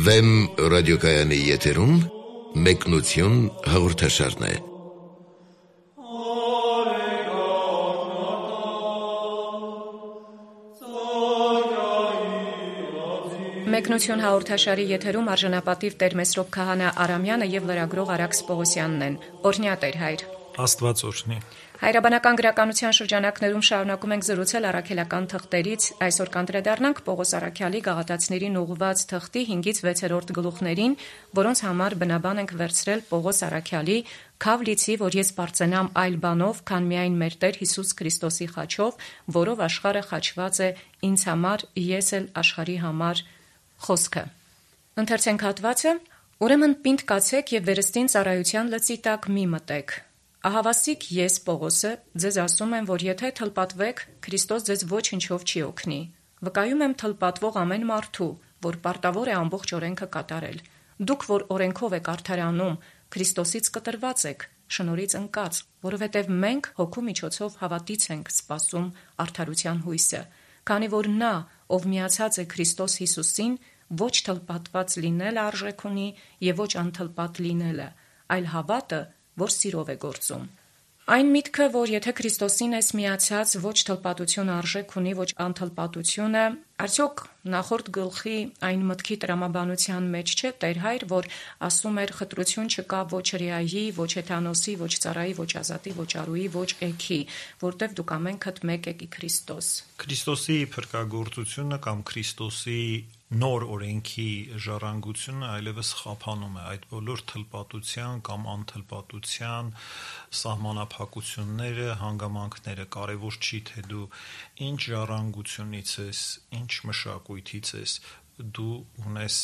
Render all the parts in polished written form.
Վեմ ռադիոկայանի եթերում մեկնություն հաղորդաշարն է։ Մեկնություն հաղորդաշարի եթերում արժանապատիվ Տեր Մեսրոպ Քահանա Արամյանը եւ լրագրող Արաքս Պողոսյանն են։ Օրհնյա Տեր հայր։ Աստված օրհնի։ Հայրաբանական գրականության շրջանակներում շարունակում ենք զրուցել առաքելական թղթերից։ Այսօր կանդրադառնանք Պողոս Առաքյալի գաղատացիներին ուղղված թղթի 5-ից 6-րդ գլուխներին, որոնց համար բնաբան ենք վերցրել Պողոս Առաքյալի «Քավ լիցի, որ ես բարձենամ այլ բանով, քան միայն մեր Տեր Հիսուս Քրիստոսի խաչով, որով աշխարհը խաչված է ինձ համար, ես էլ աշխարհի համար» խոսքը։ Ընթերցենք հատվածը. «Ուրեմն պինդ կացեք եւ վերստին ծառայության լծի տակ մի մտեք։ Ահավասիկ ես Պողոսը ձեզ ասում եմ, որ եթե թլպատվեք, Քրիստոս ձեզ ոչնչով չի օգնի։ Վկայում եմ թլպատվող ամեն մարդու, որ պարտավոր է ամբողջ օրենքը կատարել։ Դուք, որ օրենքով եք արդարանում, Քրիստոսից կտրված եք, շնորհից ընկած, որովհետև մենք հոգու միջոցով հավատից ենք սպասում արդարության հույսը, քանի որ նա, ով միացած է Քրիստոս Հիսուսին, ոչ թլպատված լինելը արժեք ունի եւ ոչ անթլպատ լինելը, այլ հավատը, որ սիրով է գործում։ Այն միտքը, որ եթե Քրիստոսին ես միացած, ոչ թլպատություն արժեք ունի, ոչ անթլպատությունը, արդյոք նախորդ գլխի այն մտքի տրամաբանության մեջ չէ Տեր հայր, որ ասում էր խտրություն չկա ոչ հրեայի, ոչ հեթանոսի, ոչ ծառայի, ոչ ազատի, ոչ արուի, ոչ էքի, որտեվ դուք ամենքդ մեկ եք ի Քրիստոս։ Քրիստոսի փրկagorցությունը կամ Քրիստոսի նոր օրենքի ժառանգությունը այլևս խափանում է այդ բոլոր թլպատության կամ անթլպատության սահմանափակությունները, հանգամանքները, կարևոր չի թե դու ինչ ժառանգությունից ես, ինչ մշակույթից ես, դու ունես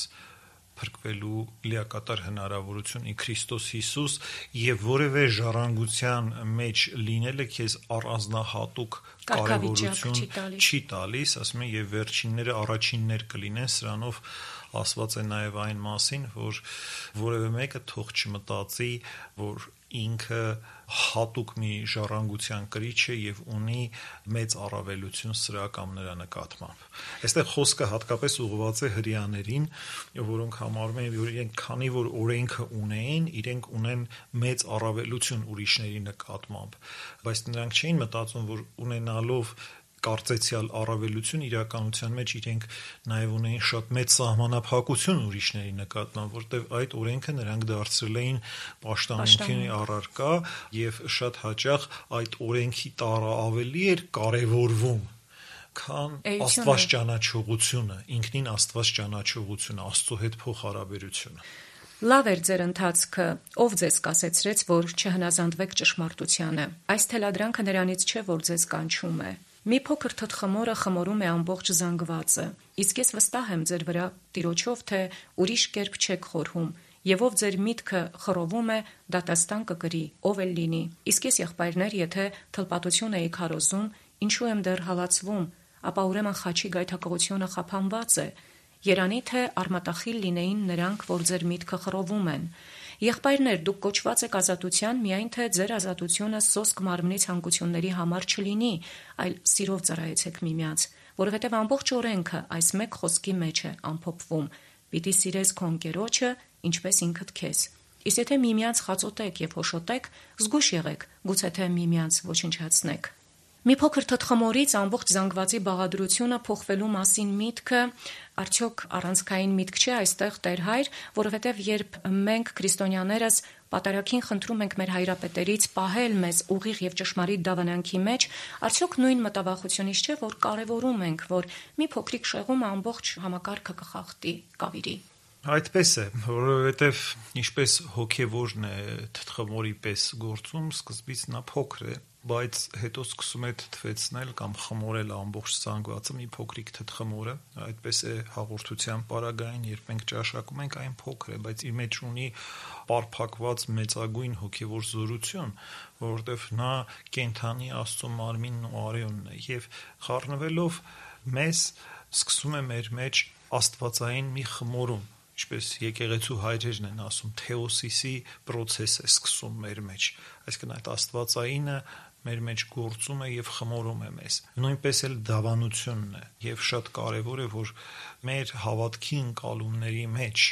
փրկվելու լիակատար հնարավորություն ի Քրիստոս Հիսուս եւ որևէ ժառանգության մեջ լինելը քեզ առանձնահատուկ կարևորություն չի տալիս, ասում են, եւ վերջինները առաջիններ կլինեն, սրանով ասված է նաեւ այն մասին, որ որևէ մեկը թող չմտածի, որ ինքը հատուկ մի ժառանգության կրիչ է եւ ունի մեծ առավելություն սրա կամ նրա նկատմամբ։ Այստեղ խոսքը հատկապես ուղղված է հրեաներին, որոնք համարում են, որ իրենք քանի որ օրենքը ունեին, իրենք ունեն մեծ առավելություն ուրիշների նկատմամբ, բայց նրանք չէին մտածում, որ ունենալով կարծեցյալ առավելություն իրականության մեջ իրենք նաև ունեին շատ մեծ սահմանափակություն ուրիշների նկատմամբ, որտեղ այդ օրենքը նրանք դարձրել էին պաշտամունքի առարկա եւ շատ հաճախ այդ օրենքի տարը ավելի էր կարևորվում, քան Աստված ճանաչողությունը, ինքնին Աստված ճանաչողությունը, Աստծո հետ փոխհարաբերությունը։ Լավ էր ձեր ընթացքը, ով ձեզ կասեցրեց, որ չհնազանդվեք ճշմարտությանը։ Այս թելադրանքը նրանից չէ, որ ձեզ կանչում է։ Մի փոքր թթխմորը խմորում է ամբողջ զանգվածը, իսկ ես վստահ եմ ձեր վրա Տիրոջով, թե ուրիշ կերպ չեք խորհում, եւ ով ձեր միտքը խռովում է, դատաստան կկրի, ով էլ լինի։ Իսկ ես, եղբայրներ, եթե թլպատություն էի քարոզում, ինչու եմ դեռ հալածվում, ապա ուրեմն խաչի գայթակղությունը խափանված է։ Երանի թե արմատախիլ լինեին նրանք, որ ձեր միտքը խռովում են։ Եղբայրներ, դուք կոչված եք ազատության, միայն թե ձեր ազատությունը սոսկ մարմնի ցանկությունների համար չլինի, այլ սիրով ծառայեցեք միմյանց, որովհետև ամբողջ օրենքը այս մեկ խոսքի մեջ է ամփոփվում. պիտի սիրես քո ընկերոջը, ինչպես ինքդ քեզ։ Իսկ եթե միմյանց խածոտեք եւ հոշոտեք, զգույշ եղեք, գուցե թե միմյանց ոչնչացնեք։ Մի փոքր թթխմորից ամբողջ զանգվածի բաղադրությունը փոխվելու մասին միտքը արդյոք առանցքային միտք չէ այստեղ Տեր հայր, որովհետև երբ մենք քրիստոնյաներս պատարագին խնդրում ենք մեր հայրապետերից պահել մեզ ուղիղ եւ ճշմարիտ դավանանքի մեջ, արդյոք նույն մտավախությունից չէ, որ կարևորում ենք, որ մի փոքրիկ շեղում ամբողջ համակարգը կխախտի, կավիրի։ Այդպես է, որովհետև ինչպես հոգևորն է թթխմորի պես գործում, սկզբից նա փոքր է, բայց հետո սկսում է թթվեցնել կամ խմորել ամբողջ զանգվածը մի փոքրիկ թթխմորը, այդպես է հաղորդության պարագային, երբ մենք ճաշակում ենք, այն փոքր է, բայց իր մեջ ունի պարփակված մեծագույն հոգևոր զորություն, որովհետև նա կենդանի Աստծո մարմինն ու արյունն է եւ խառնվելով մեզ սկսում է մեր մեջ աստվածային մի խմորում, ինչպես եկեղեցու հայրերն են ասում, թեոսիսի process է սկսում մեր մեջ, այսինքն այդ աստվածայինը մեր մեջ գործում է եւ խմորում է մեզ։ Նույնպես էլ դավանությունն է, եւ շատ կարեւոր է, որ մեր հավատքի ընկալումների մեջ,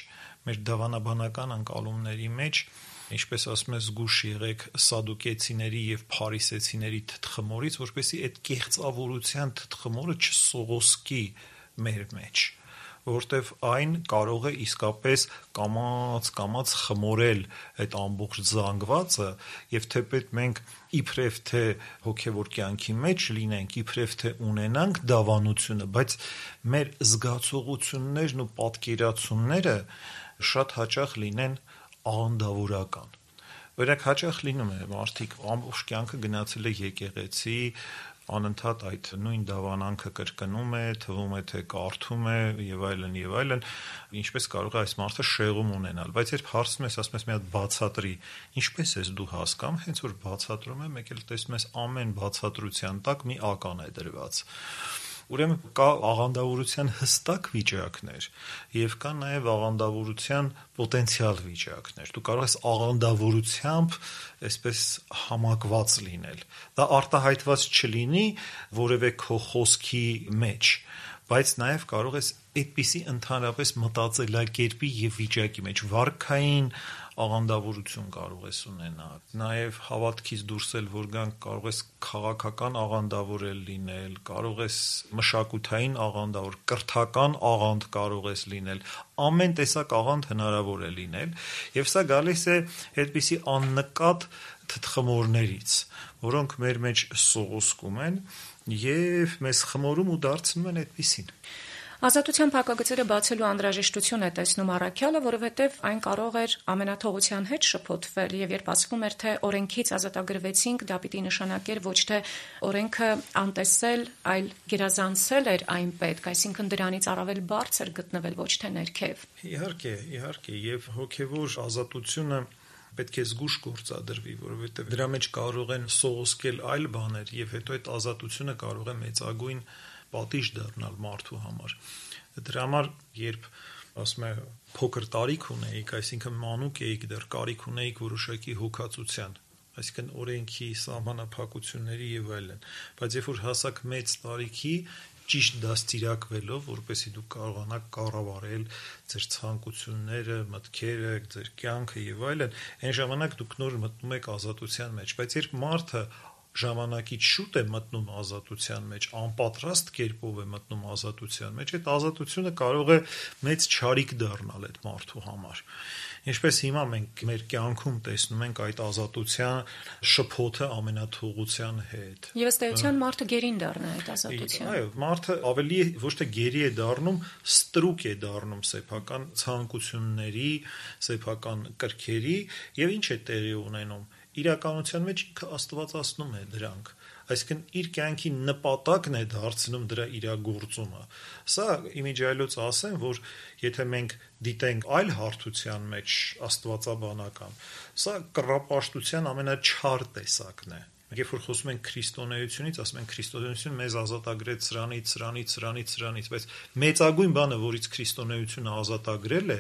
մեր դավանաբանական ընկալումների մեջ, ինչպես ասում է, զգուշ եղեք սադուկեցիների եւ փարիսեցիների թթխմորից, որպեսզի այդ կեղծավորության թթխմորը չսողոսկի մեր մեջ, որտեվ այն կարող է իսկապես կամաց խմորել այդ ամբողջ զանգվածը, եւ թեպետ մենք իբրև թե հոգեվոր կյանքի մեջ լինենք, իբրև թե ունենանք դավանությունը, բայց մեր զգացողություններն ու պատկերացումները շատ հաճախ լինեն աղանդավորական։ Օրինակ հաճախ լինում է մարդիկ ամբողջ կյանքը գնացել է եկեղեցի, անընդհատ այդ նույն դավանանքը կրկնում է, թվում է թե կարդում է եւ այլն, ինչպես կարող է այս մարդը շեղում ունենալ, բայց երբ հարցնում ես, ասում ես մի հատ բացատրի, ինչպես ես դու հասկանում, հենց որ բացատրում է, մեկ էլ տեսնում ես ամեն բացատրության տակ մի ական է դրված։ Ուրեմն կա աղանդավորության հստակ վիճակներ եւ կա նաեւ աղանդավորության պոտենցիալ վիճակներ։ Դու կարող ես աղանդավորությամբ այսպես համակված լինել։ Դա արտահայտված չլինի որևէ քո խոսքի մեջ, բայց նաեւ կարող ես այդպիսի ընդհանրապես մտածելակերպի եւ վիճակի մեջ վարքային աղանդավորություն կարող ես ունենալ, նաև հավատքից դուրս էլ որ գանք կարող ես քաղաքական աղանդավոր լինել, կարող ես մշակութային աղանդավոր, կրթական աղանդ կարող ես լինել, ամեն տեսակ աղանդ հնարավոր է լինել, եւ սա գալիս է այդպիսի աննկատ թթխմորներից, որոնք մեր մեջ սողոսկում են եւ մեզ խմորում ու դարձնում են այդպիսին։ Ազատության փակագծերը բացելու անհրաժեշտություն է տեսնում առաքյալը, որովհետև այն կարող էր ամենաթողության հետ շփոթվել եւ երբ ասվում էր թե օրենքից ազատագրվեցինք, դա պիտի նշանակեր ոչ թե օրենքը անտեսել, այլ գերազանցել էր այն պետք, այսինքն դրանից առավել բարձր գտնվել ոչ թե ներքև։ Իհարկե, եւ հոգեվոր ազատությունը պետք է զգուշ գործադրվի, որովհետև դրա մեջ կարող են սողոսկել այլ բաներ եւ հետո այդ ազատությունը կարող է մեծագույն պատիժ դառնալ մարդու համար։ Դրա համար, երբ ասում եմ փոքր տարիք ունեիք, այսինքն մանուկ էիք, դեռ կարիք ունեիք որոշակի հոգացության, այսինքն օրենքի, սահմանափակությունների եւ այլն, բայց երբ որ հասաք մեծ տարիքի, ճիշտ դաստիարակվելով, որպեսզի դուք կարողանաք կառավարել ձեր ցանկությունները, մտքերը, ձեր կյանքը եւ այլն, այն ժամանակ դուք նոր մտնում եք ազատության մեջ, բայց երբ մարդը ժամանակից շուտ է մտնում ազատության մեջ, անպատրաստ կերպով է մտնում ազատության մեջ, այդ ազատությունը կարող է մեծ չարիք դառնալ այդ մարդու համար։ Ինչպես հիմա մենք մեր կյանքում տեսնում ենք այդ ազատության շփոթը ամենաթողության հետ։ Եվ ըստ էության մարդը գերին դառնա այդ ազատության։ Այո, մարդը ավելի ոչ թե գերի է դառնում, ստրուկ է դառնում սեփական ցանկությունների, սեփական կրքերի, եւ ինչ է տեղի ունենում։ Իրականության մեջ ինքը աստվածացնում է դրանք, այսինքն իր կյանքի նպատակն է դարձնում դրա իրագործումը։ Սա իմիջիայլոց ասեմ, որ եթե մենք դիտենք այլ հարթության մեջ աստվածաբանական, սա կռապաշտության ամենաչար տեսակն է։ Երբ որ խոսում ենք քրիստոնեությունից, ասում ենք քրիստոնեությունը մեզ ազատագրեց սրանից, բայց մեծագույն բանը, որից քրիստոնեությունը ազատագրել է,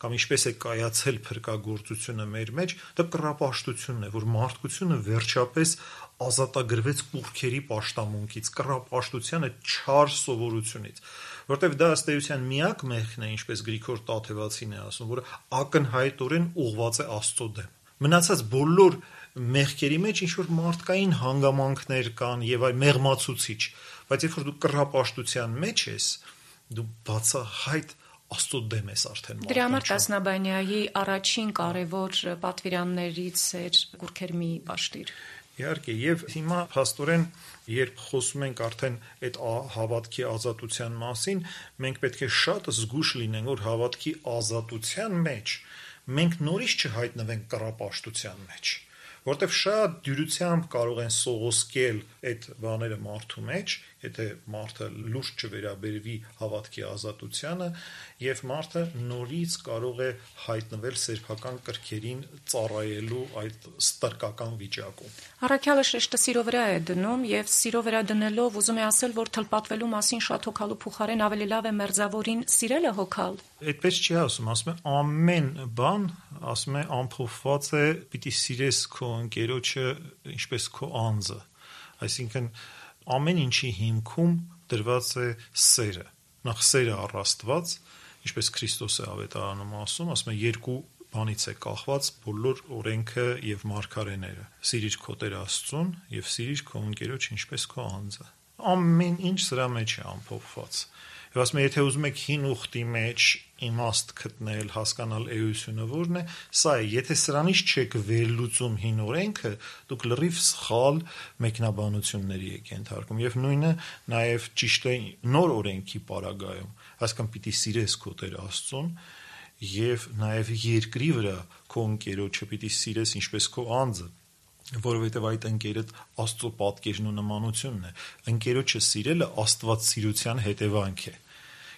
կամ ինչպես է կայացել փրկagorցությունը մեր մեջ, դա կռապաշտությունն է, որ մարդկությունը վերջապես ազատագրվեց կուռքերի պաշտամունքից, կռապաշտության այդ չար սովորությունից, որտեղ դա ըստ էության միակ մեղքն է, ինչպես Գրիգոր Տաթևացին է ասում, որը ակնհայտորեն ուղղված է Աստծո դեմ։ Մնացած բոլոր մեղքերի մեջ ինչ որ մարդկային հանգամանքներ կան եւ այլ մեղմացուցիչ, բայց երբ որ դու կռապաշտության մեջ ես, դու բացահայտ Աստծո դեմ ես արդեն մարդկանց։ Դրա համար Տասնաբանյայի առաջին կարևոր պատվիրաններից էր կուռքեր մի պաշտիր։ Իհարկե, եւ հիմա փաստորեն, երբ խոսում ենք արդեն այդ հավատքի ազատության մասին, մենք պետք է շատ զգուշ լինենք, որ հավատքի ազատության մեջ մենք նորից չհայտնվենք կռապաշտության մեջ, որտեղ շատ դյուրությամբ կարող են սողոսկել այդ բաները մարդու մեջ, եթե մարդը լուրջ չվերաբերվի հավատքի ազատությանը, եւ մարդը նորից կարող է հայտնվել սեփական կրքերին ծառայելու այդ ստրկական վիճակում։ Առաքյալը շեշտը սիրո վրա է դնում եւ սիրո վրա դնելով ուզում է ասել, որ թլպատվելու մասին շատ հոգալու փոխարեն ավելի լավ է մերձավորին սիրելը հոգալ։ Այդպես չի ասում, ասում է ամեն բան, ասում է ամփոփված է, պիտի սիրես քո ընկերոջը ինչպես քո անձը։ Այսինքն ամեն ինչի հիմքում դրված է սերը։ Նախ սերը առ Աստված, ինչպես Քրիստոս է ավետարանում ասում է երկու բանից է կախված բոլոր օրենքը եւ մարգարեները. սիրիր քո Տեր Աստծուն եւ սիրիր քո ընկերոջ ինչպես քո անձը։ Ամեն ինչ սրա մեջ է ամփոփված։ Եվ ասում եմ, եթե ուզում եք հին ուխտի մեջ իմաստ գտնել, հասկանալ էությունը որն է, սա է, եթե սրանից չեք վերլուծում հին օրենքը, դուք լրիվ սխալ մեկնաբանությունների եք ենթարկում։ Եվ նույնը նաև ճիշտ է նոր օրենքի պարագայում, այսինքն պիտի սիրես քո Տեր Աստծուն եւ նաև երկրի վրա քո ընկերոջը պիտի սիրես ինչպես քո անձը, որովհետև այդ ընկերդ Աստծո պատկերն ու նմանությունն է։ Ընկերոջը սիրելը աստվածասիրության հետևանք է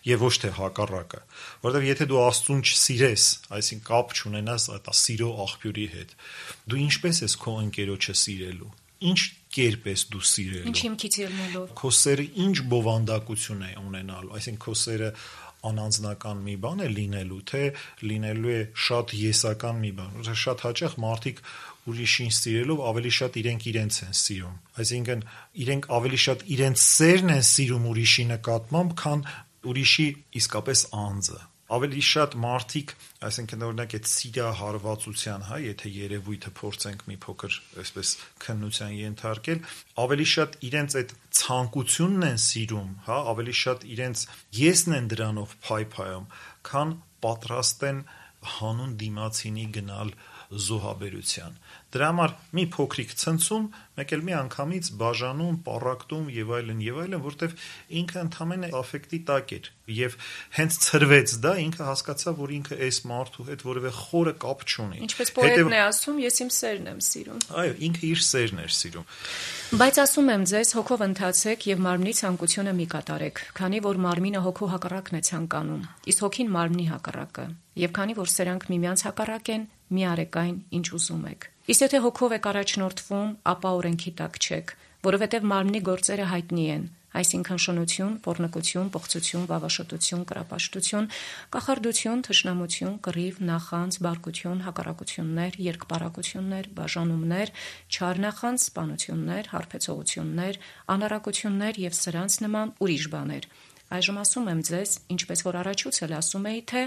եւ ոչ թե հակառակը, որովհետեւ եթե դու Աստծուն չսիրես, այսինքն կապ չունենաս այդ սիրո աղբյուրի հետ, դու ինչպես ես քո ընկերոջը սիրելու, ինչ կերպ ես դու սիրելու, ինչ հիմքից ելնելով, քո սերը ինչ բովանդակություն է ունենալու, այսինքն քո սերը անանձնական մի բան է լինելու, թե լինելու է շատ եսական մի բան։ Շատ հաճախ մարդիկ ուրիշին սիրելով ավելի շատ իրենք իրենց են սիրում, այսինքն իրենք ավելի շատ իրենց սերն են սիրում ուրիշի նկատմամբ, քան ուրիշի իսկապես անձը։ Ավելի շատ մարդիկ, այսինքն օրինակ այդ սիրահարվածության, եթե երևույթը փորձենք մի փոքր այսպես քննության ենթարկել, ավելի շատ իրենց այդ ցանկությունն են սիրում, ավելի շատ իրենց եսն են դրանով փայփայում, քան պատրաստ են հանուն դիմացինի գնալ զոհաբերության։ Դրա համար մի փոքրիկ ցնցում, մեկ էլ մի անգամից բաժանում, պառակտում եւ այլն, որտեվ ինքը ընդամենը աֆեկտի տակ էր եւ հենց ցրվեց դա, ինքը հասկացավ, որ ինքը այս մարդու հետ որևէ խորը կապ չունի։ Ինչպես պոետն է ասում, ես իմ սերն եմ սիրում։ Այո, ինքը իր սերն էր սիրում։ Բայց ասում եմ ձեզ, հոգով ընթացեք եւ մարմնի ցանկությունը մի կատարեք, քանի որ մարմինը հոգու հակառակն է ցանկանում, իսկ հոգին մարմնի հակառակը։ Եվ քանի որ սրանք միմյանց հակառակ են, մի արեք այն, ինչ ուզում եք։ Իսկ եթե հոգով եք առաջնորդվում, ապա օրենքի տակ չեք, որովհետև մարմնի գործերը հայտնի են, այսինքն շնություն, պոռնկություն, պղծություն, վավաշոտություն, կրապաշտություն, կախարդություն, թշնամություն, կռիվ, նախանձ, բարկություն, հակառակություններ, երկպարակություններ, բաժանումներ, չար նախանձ, սպանություններ, հարբեցողություններ, անառակություններ եւ սրանց նման ուրիշ բաներ։ Այժմ ասում եմ ձեզ, ինչպես որ առաջուց էլ ասում էի, թե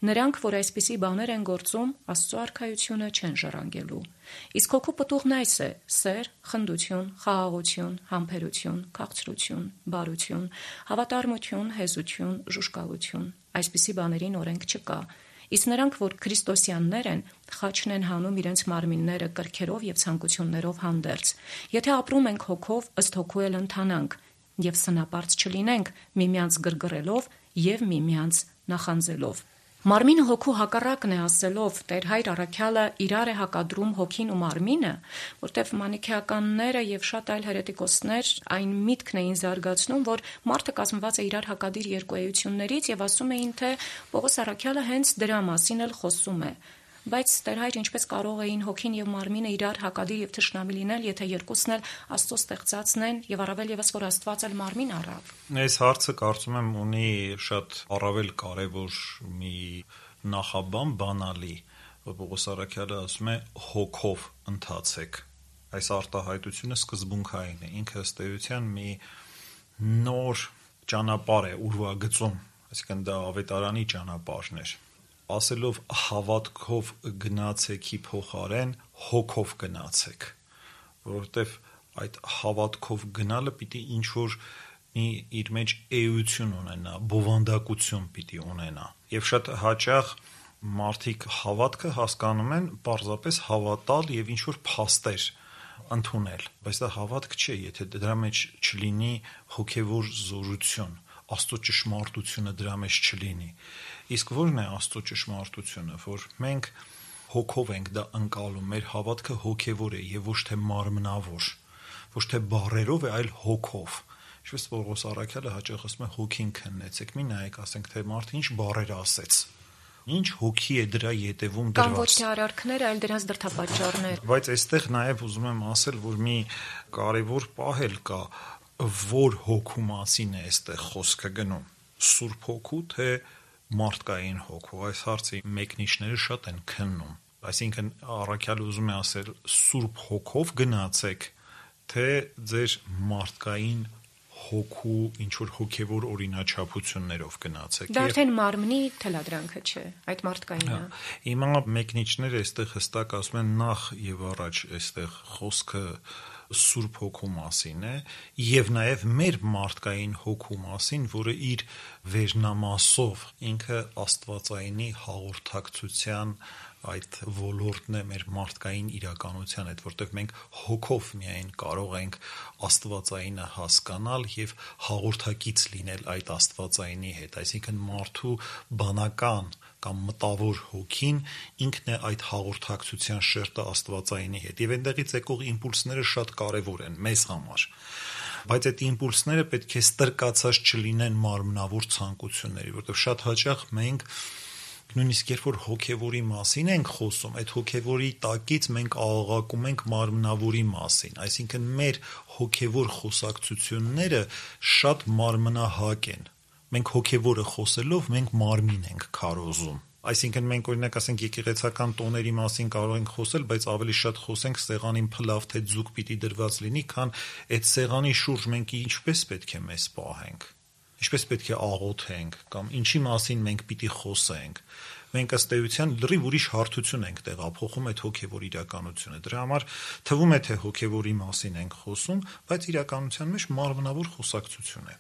նրանք, որ այսպիսի բաներ են գործում, Աստծո արքայությունը չեն ժառանգելու։ Իսկ հոգու պտուղն այս է՝ սեր, խնդություն, խաղաղություն, համբերություն, քաղցրություն, բարություն, հավատարմություն, հեզություն, ժուժկալություն։ Այսպիսի բաներին օրենք չկա։ Իսկ նրանք, որ քրիստոսյաններ են, խաչն են հանում իրենց մարմինները կրքերով եւ ցանկություններով հանդերձ։ Եթե ապրում ենք հոգով, ըստ հոգու էլ ընթանանք, եւ սնապարծ չլինենք միմյանց գրգռելով եւ միմյանց նախանձելով։ Մարմինը հոգու հակառակն է ասելով, Տեր Հայր առաքյալը իրար է հակադրում հոգին ու մարմինը, որտեղ մանիքեականները եւ շատ այլ հերետիկոսներ այն միտքն էին զարգացնում, որ մարդը կազմված է իրար հակադիր երկու էություններից եւ ասում էին, թե Պողոս առաքյալը հենց դրա մասին էլ խոսում է։ Բայց Տեր Հայր, ինչպես կարող էին հոգին եւ մարմինը իրար հակադիր եւ թշնամի լինել, եթե երկուսն էլ Աստծո ստեղծածն են եւ առավել եւս որ Աստված էլ մարմին առավ։ Այս հարցը կարծում եմ ունի շատ առավել կարևոր մի նախաբան, բանալի, որ Պողոս առաքյալը ասում է հոգով ընթացեք։ Այս արտահայտությունը սկզբունքային է, ինքը ըստ էության մի նոր ճանապարհ է ուրվագծում, այսինքն դա ավետարանի ճանապարհն էր։ Ասելով հավատքով գնացեքի փոխարեն հոգով գնացեք, որովհետև այդ հավատքով գնալը պիտի ինչ-որ մի իր մեջ էություն ունենա, բովանդակություն պիտի ունենա։ Եվ շատ հաճախ մարդիկ հավատքը հասկանում են պարզապես հավատալ եւ ինչ-որ փաստեր ընդունել, բայց դա հավատք չէ, եթե դրա մեջ չլինի հոգևոր զորություն, Աստծո ճշմարտությունը դրա մեջ չլինի։ Իսկ ո՞րն է Աստծո ճշմարտությունը, որ մենք հոգով ենք դա ընկալում, մեր հավատքը հոգևոր է եւ ոչ թե մարմնավոր, ոչ թե բառերով է, այլ հոգով։ Ինչպես Պողոս առաքյալը հաճախ ասում է հոգին քննեցեք, մի նայեք, ասենք թե մարդը ինչ բառեր ասեց, ինչ հոգի է դրա յետևում դրված։ Կամ ոչ թե արարքներ, այլ դրանց դրդապատճառներ։ Բայց այստեղ նաեւ ուզում եմ ասել, որ մի կարևոր պահ էլ կա, որ հոգու մասին է այստեղ խոսքը գնում, Սուրբ հոգու թե մարդկային հոգու։ Այս հարցի մեկնիչները շատ են քննում, այսինքն առաքյալը ուզում է ասել Սուրբ հոգով գնացեք, թե ձեր մարդկային հոգու ինչ-որ հոգևոր օրինաչափություններով գնացեք։ Դա արդեն մարմնի թելադրանքը չէ, այդ մարդկայինը։ Հիմա մեկնիչները այստեղ հստակ ասում են նախ եւ առաջ այստեղ խոսքը Սուրբ Հոգու մասին է եւ նաեւ մեր մարդկային հոգու մասին, որը իր վերնամասով ինքը Աստվածայինի հաղորդակցության այդ ոլորտն է մեր մարդկային իրականության հետ, որտեղ մենք հոգով միայն կարող ենք Աստվածայինը հասկանալ եւ հաղորդակից լինել այդ Աստվածայինի հետ, այսինքն մարդու բանական կամ մտավոր հոգին ինքն է այդ հաղորդակցության շերտը Աստվածայինի հետ եւ այնտեղից եկող իմպուլսները շատ կարեւոր են մեզ համար, բայց այդ իմպուլսները պետք է ստրկացած չլինեն մարմնավոր ցանկությունների, որովհետեւ շատ հաճախ մենք նույնիսկ երբ որ հոգևորի մասին ենք խոսում, այդ հոգևորի տակից մենք աղաղակում ենք մարմնավորի մասին, այսինքն մեր հոգևոր խոսակցությունները շատ մարմնահակ են։ Մենք հոգևորը խոսելով մենք մարմին ենք քարոզում։ Այսինքն մենք օրինակ ասենք եկեղեցական տոների մասին կարող ենք խոսել, բայց ավելի շատ խոսենք սեղանին փլավ թե ձուկ պիտի դրված լինի, քան այդ սեղանի շուրջ մենք ինչպես պետք է մեզ պահենք, ինչպես պետք է աղոթենք կամ ինչի մասին մենք պիտի խոսենք։ Մենք ըստ էության լրիվ ուրիշ հարթություն ենք տեղափոխում այդ հոգևոր իրականությունը։ Դրա համար թվում է թե հոգևորի մասին ենք խոսում, բայց իրականության մեջ մարմնավոր խոսակցություն է։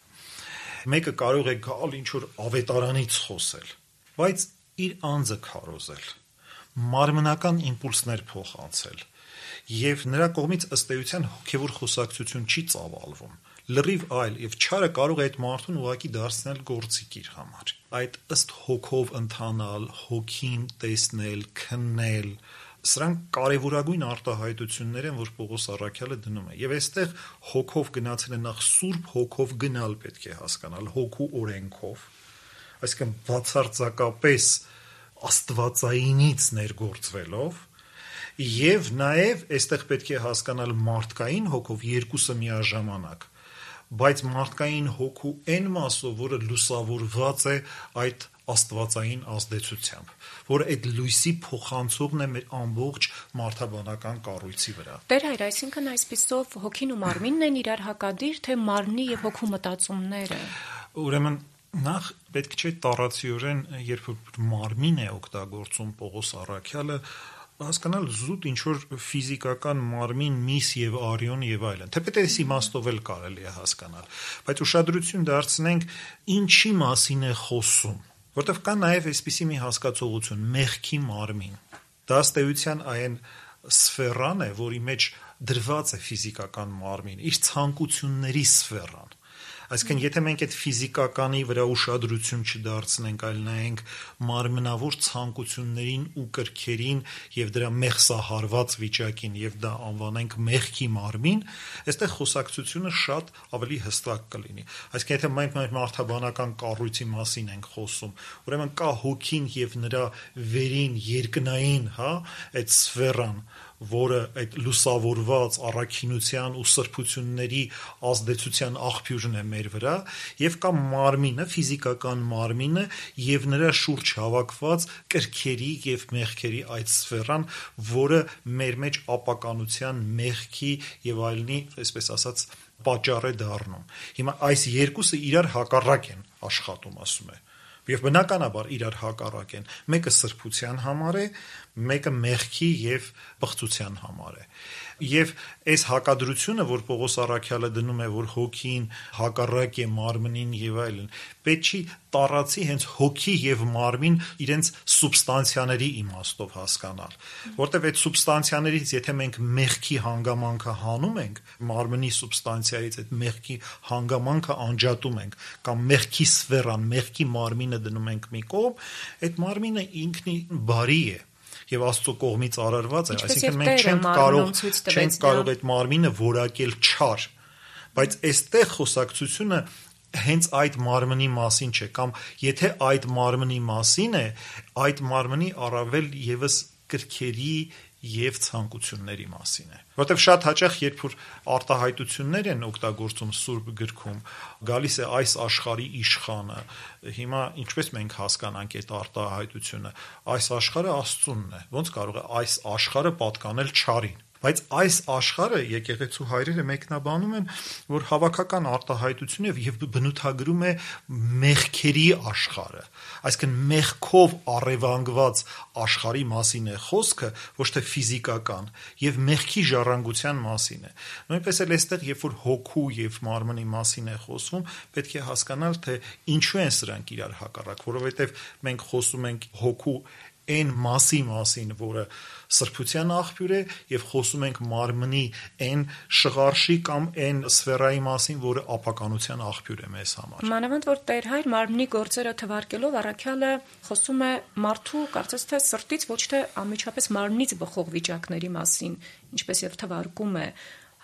Մեկը կարող է գալ ինչ-որ ավետարանից խոսել, բայց իր անձը քարոզել, մարմնական իմպուլսներ փոխանցել, եւ նրա կողմից ըստ էության հոգևոր խոսակցություն չի ծավալվում։ Լրիվ այլ եւ չարը կարող է այդ մարդուն ուղակի դարձնել գործիք իր համար։ Այդ ըստ հոգով ընթանալ, հոգին տեսնել, քննել, սրանք կարևորագույն արտահայտություններ են, որ Պողոս առաքյալը դնում է։ Եվ այստեղ հոգով գնացել է նախ Սուրբ Հոգով գնալ պետք է հասկանալ, հոգու օրենքով, այսինքն բացարձակապես Աստվածայինից ներգործվելով, եւ նաեւ այստեղ պետք է հասկանալ մարդկային հոգով երկուսը միաժամանակ, բայց մարդկային հոգու այն մասով, որը լուսավորված է այդ աստվածային ազդեցությամբ, որը այդ լույսի փոխանցողն է մեր ամբողջ մարդաբանական կառույցի վրա։ Տեր հայր, այսինքն այսպիսով հոգին ու մարմինն են իրար հակադիր, թե մարմնի եւ հոգու մտածումները։ Ուրեմն նախ պետք չէ տառացիորեն, երբ մարմին է օգտագործում Պողոս առաքյալը, հասկանալ զուտ ինչ-որ ֆիզիկական մարմին, միս եւ արյուն եւ այլն, թեպետ այս իմաստով էլ կարելի է հասկանալ, բայց ուշադրություն դարձնենք ինչի մասին է խոսում, որտեղ կա նաեւ այսպիսի մի հասկացողություն՝ մեղքի մարմին։ Դա ըստ էության այն սֆերան է, որի մեջ դրված է ֆիզիկական մարմին, իր ցանկությունների սֆերան։ Այսինքն, եթե մենք այդ ֆիզիկականի վրա ուշադրություն չդարձնենք, այլ նայենք մարմնավոր ցանկություններին ու կրքերին եւ դրա մեղսահարված վիճակին եւ դա անվանենք մեղքի մարմին, այստեղ խոսակցությունը շատ ավելի հստակ կլինի։ Այսինքն, եթե մենք մարդաբանական կառույցի մասին ենք խոսում, ուրեմն կա հոգին եւ նրա վերին երկնային, այդ սֆերան, որը այդ լուսավորված առաքինության ու սրբությունների ազդեցության աղբյուրն է մեր վրա, եւ կա մարմինը, ֆիզիկական մարմինը եւ նրա շուրջ հավաքված կրքերի եւ մեղքերի այդ սֆերան, որը մեր մեջ ապականության, մեղքի եւ այլնի, այսպես ասած, պատճառ է դառնում։ Հիմա այս երկուսը իրար հակառակ են աշխատում, ասում է։ Եվ բնականաբար իրար հակառակ են։ Մեկը սրբության համար է, մեկը մեղքի եւ բղծության համար է։ Եվ այս հակադրությունը, որ Պողոս առաքյալը դնում է, որ հոգին հակառակ է մարմնին եւ այլն, պետք չի տառացի հենց հոգի եւ մարմին իրենց սուբստանցիաների իմաստով հասկանալ, որտեւ այդ սուբստանցիաներից եթե մենք մեղքի հանգամանքը հանում ենք, մարմնի սուբստանցիայից այդ մեղքի հանգամանքը անջատում ենք, կամ մեղքի սֆերան, մեղքի մարմինը դնում ենք մի կողմ, այդ մարմինը ինքնին բարի է եւ Աստծո կողմից արարված է, այսինքն մենք չենք կարող այդ մարմինը որակել չար, բայց այստեղ խոսակցությունը հենց այդ մարմնի մասին չէ, կամ եթե այդ մարմնի մասին է, այդ մարմնի առավել եւս կրքերի եւ ցանկությունների մասին է, որտեղ շատ հաճախ երբ որ արտահայտություններ են օգտագործում Սուրբ գրքում, գալիս է այս աշխարհի իշխանը, հիմա ինչպես մենք հասկանանք այդ արտահայտությունը, այս աշխարհը Աստծունն է, ոնց կարող է այս աշխարհը պատկանել չարին, Բայց այս աշխարհը եկեղեցու հայրերը մեկնաբանում են, որ հավաքական արտահայտություն է եւ բնութագրում է մեղքերի աշխարհը, այսինքն մեղքով առևանգված աշխարհի մասին է խոսքը, ոչ թե ֆիզիկական, եւ մեղքի ժառանգության մասին է։ Նույնպես էլ այստեղ, երբ որ հոգու եւ մարմնի մասին է խոսվում, պետք է հասկանալ, թե ինչու են սրանք իրար հակառակ, որովհետեւ մենք խոսում ենք հոգու այն մասի մասին, որը սրբության աղբյուր է, եւ խոսում ենք մարմնի այն շղարշի կամ այն սֆերայի մասին, որը ապականության աղբյուր է մեզ համար։ Մանավանդ որ Տեր Հայր մարմնի գործերը թվարկելով առաքյալը խոսում է մարդու կարծես թե սրտից, ոչ թե անմիջապես մարմնից բխող վիճակների մասին, ինչպես եւ թվարկում է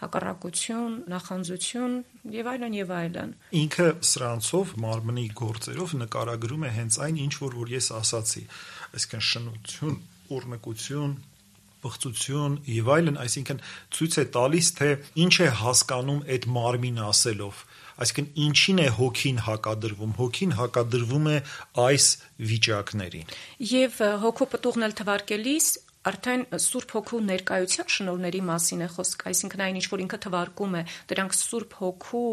հակառակություն, նախանձություն եւ այլն եւ այլն։ Ինքը սրանցով մարմնի գործերով նկարագրում է հենց այն, ինչ որ ես ասացի, այսինքն շնություն, ուռնկություն, բղծություն եւ այլն, այսինքն ցույց է տալիս, թե ինչ է հասկանում այդ մարմին ասելով, այսինքն ինչին է հոգին հակադրվում։ Հոգին հակադրվում է այս վիճակներին։ Եվ հոգու պտուղն էլ թվարկելիս արդեն Սուրբ Հոգու ներկայության շնորհների մասին է խոսք, այսինքն այն ինչ որ ինքը թվարկում է, դրանք Սուրբ Հոգու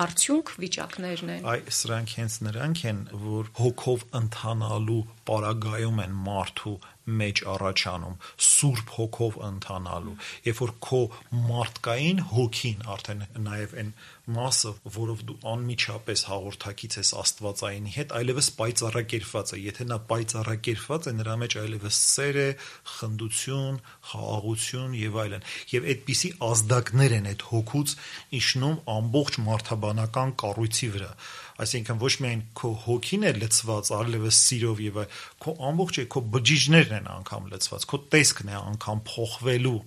արդյունք վիճակներն են։ Սրանք հենց նրանք են, որ հոգով ընթանալու պարագայում են մարդու մեջ առաջանում, Սուրբ Հոգով ընթանալու, երբ որ քո մարդկային հոգին արդեն նաև այն մասը, որով դու անմիջապես հաղորդակից ես Աստվածայինի հետ, այլևս պայծառակերպված է, եթե նա պայծառակերպված է, նրա մեջ այլևս սեր է, խնդություն, խաղաղություն եւ այլն, եւ այդպիսի ազդակներ են այդ հոգուց իջնում ամբողջ մարդաբանական կառույցի վրա, այսինքն ոչ միայն քո հոգին է լցված այլևս սիրով եւ քո ամբողջ քո բջիջներն են անգամ լցված, քո տեսքն է անգամ փոխվելու,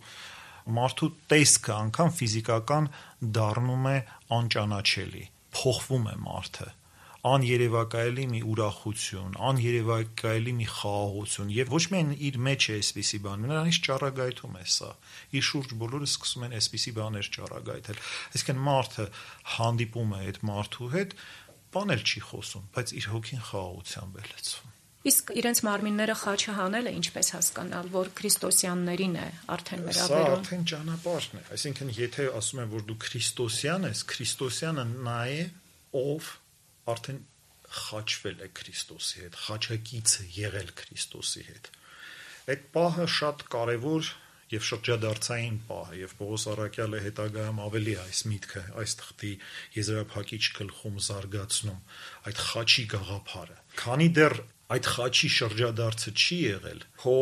մարդու տեսքը անգամ ֆիզիկական դառնում է անճանաչելի, փոխվում է մարդը, աներևակայելի մի ուրախություն, աներևակայելի մի խաղաղություն եւ ոչ միայն իր մեջ է այսպիսի բան, նրանից ճառագայթում է սա, իր շուրջ բոլորը սկսում են այսպիսի բաներ ճառագայթել, այսինքն մարդը հանդիպում է այդ մարդու հետ, բան էլ չի խոսում, բայց իր հոգին խաղաղությամբ է լցվում։ Իսկ իրենց մարմինները խաչը հանելը ինչպես հասկանալ, որ քրիստոսյաններին է արդեն վերաբերում։ Սա արդեն ճանապարհն է, այսինքն եթե ասում են, որ դու քրիստոսյան ես, քրիստոսյանը նա է, ով արդեն խաչվել է Քրիստոսի հետ, խաչակից է եղել Քրիստոսի հետ։ Այդ պահը շատ կարևոր եւ շրջադարձային պահ է, եւ Պողոս առաքյալը հետագայում ավելի այս միտքը, այս թղթի եզրափակիչ գլխում զարգացնում այդ խաչի գաղափարը։ Քանի դեռ այդ խաչի շրջադարձը չի եղել, քո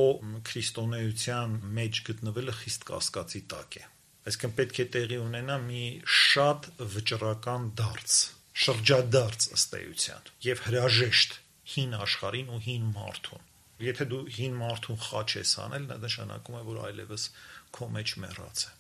քրիստոնեության մեջ գտնվելը խիստ կասկածի տակ է։ Այսինքն պետք է տեղի ունենա մի շատ վճռական դարձ, շրջադարձ ըստ էության եւ հրաժեշտ հին աշխարհին ու հին մարդուն։ Եթե դու հին մարդուն խաչ ես անել, դա նշանակում է, որ այլևս քո մեջ մեռած է։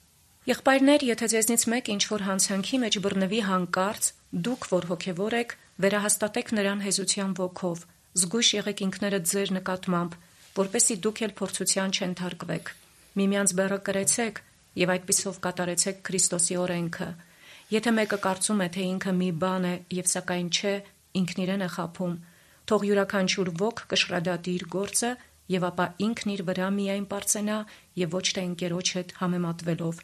Եղբայրներ, եթե ձեզնից մեկ ինչ-որ հանցանքի մեջ բռնվի հանկարծ, դուք, որ հոգևոր եք, վերահաստատեք նրան հեզության ոգով, զգույշ եղեք ինքներդ ձեր նկատմամբ, որպեսզի դուք էլ փորձության չենթարկվեք։ Միմյանց բեռը կրեցեք եւ այդպիսով կատարեցեք Քրիստոսի օրենքը։ Եթե մեկը կարծում է, թե ինքը մի բան է եւ սակայն չէ, ինքն իրեն է խաբում։ Թող յուրաքանչյուր ոգ կշռադատի իր գործը եւ ապա ինքն իր վրա միայն պարծենա եւ ոչ թե ընկերոջ հետ համեմատվելով,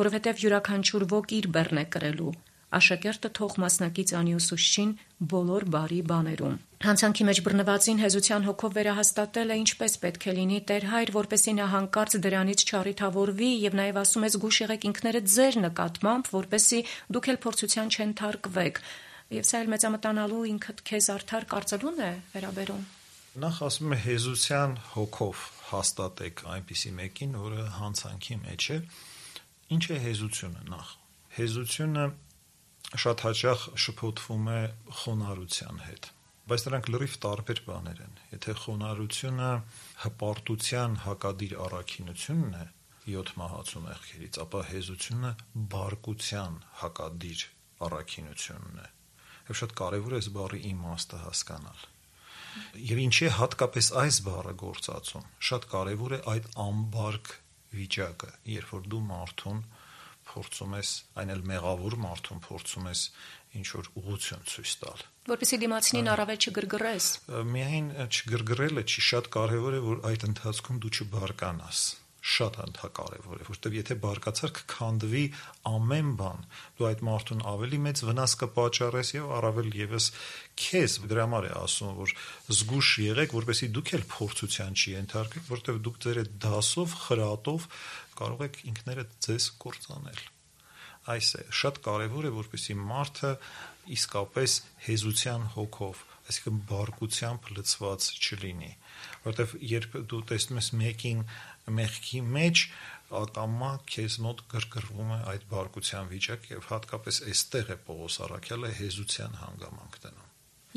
որովհետեւ յուրաքանչյուր ոգ իր բեռն է կրելու։ Աշակերտը թող մասնակից անի ուսուցչին բոլոր բարի բաներում։ Հանցանքի մեջ բռնվածին հեզության հոգով վերահաստատելը ինչպես պետք է լինի Տեր Հայր, որպեսզի նա հանկարծ դրանից չառիթավորվի եւ նաեւ ասում ես զգույշ եղեք ինքներդ ձեր նկատմամբ, որպեսզի դուք էլ փորձության չենթարկվեք։ Եվ սա էլ մեծամտանալու ինքդ քեզ արդար կարծելուն է վերաբերում։ Նախ ասում է հեզության հոգով հաստատեք այնպիսի մեկին, որը հանցանքի մեջ է։ Ինչ է հեզությունը նախ։ Հեզությունը շատ հաճախ շփոթվում է խոնարհության հետ, բայց նրանք լրիվ տարբեր բաներ են։ Եթե խոնարհությունը հպարտության հակադիր առաքինությունն է 7 մահացու մեղքերից, ապա հեզությունը բարկության հակադիր առաքինությունն է։ Եվ շատ կարևոր է այս բառի իմաստը հասկանալ։ Եվ ինչի է հատկապես այս բառը գործածում։ Շատ կարևոր է այդ ամբարկ վիճակը, երբ որ դու մարդուն փորձում ես, այն էլ մեղավոր մարդուն փորձում ես ինչ-որ ուղղություն ցույց տալ։ Որպեսզի դիմացինին առավել չգրգռես։ Միայն չգրգռելը չի, շատ կարևոր է, որ այդ ընթացքում դու չբարկանաս։ շատ կարևոր է, որտեղ եթե բարկացար կքանդվի ամեն բան, դու այդ մարդուն ավելի մեծ վնաս կպատճառես եւ առավել եւս քեզ։ Դրա համար է ասում, որ զգուշ եղեք, որպեսզի դուք էլ փորձության չի ենթարկվեք, որտեղ դուք ձեր այդ դասով, խրատով կարող եք ինքներդ ձեզ կործանել։ Այս է շատ կարևոր է, որպեսզի մարդը իսկապես հեզության հոգով, այսինքն բարկությամբ լցված չլինի, որտեղ երբ դու տեսնում ես մեկին մեղքի մեջ, ակամա քեզ մոտ գրգռվում է այդ բարկության վիճակը եւ հատկապես այստեղ է Պողոս առաքյալը հեզության հանգամանք դնում։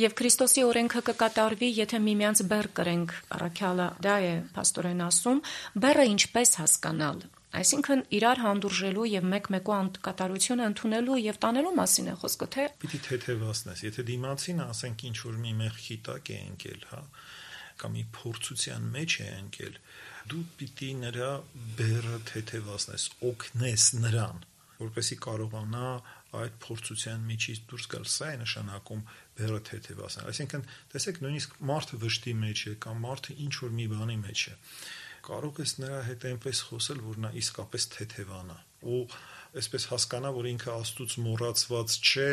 Եվ Քրիստոսի օրենքը կկատարվի, եթե միմյանց բեռ կրենք, առաքյալը դա է փաստորեն ասում, բեռը ինչպես հասկանալ, այսինքն իրար հանդուրժելու եւ մեկ-մեկու անկատարությունը ընդունելու եւ տանելու մասին է խոսքը, թե պիտի թեթևացնես, եթե դիմացին ասենք ինչ որ մի մեղքի տակ է ընկել, հա, կամ մի փորձության մեջ է ընկել, դու պիտի նրա բեռը թեթևացնես, օգնես նրան, որպեսզի կարողանա այդ փորձության միջից դուրս գալ։ Սա է նշանակում բեռը թեթևացնել։ Այսինքն, տեսեք, նույնիսկ մարդը վշտի մեջ է կամ մարդը ինչ որ մի բանի մեջ է, կարող ես նրա հետ այնպես խոսել, որ նա իսկապես թեթևանա ու այսպես հասկանա, որ ինքը Աստծուց մոռացված չէ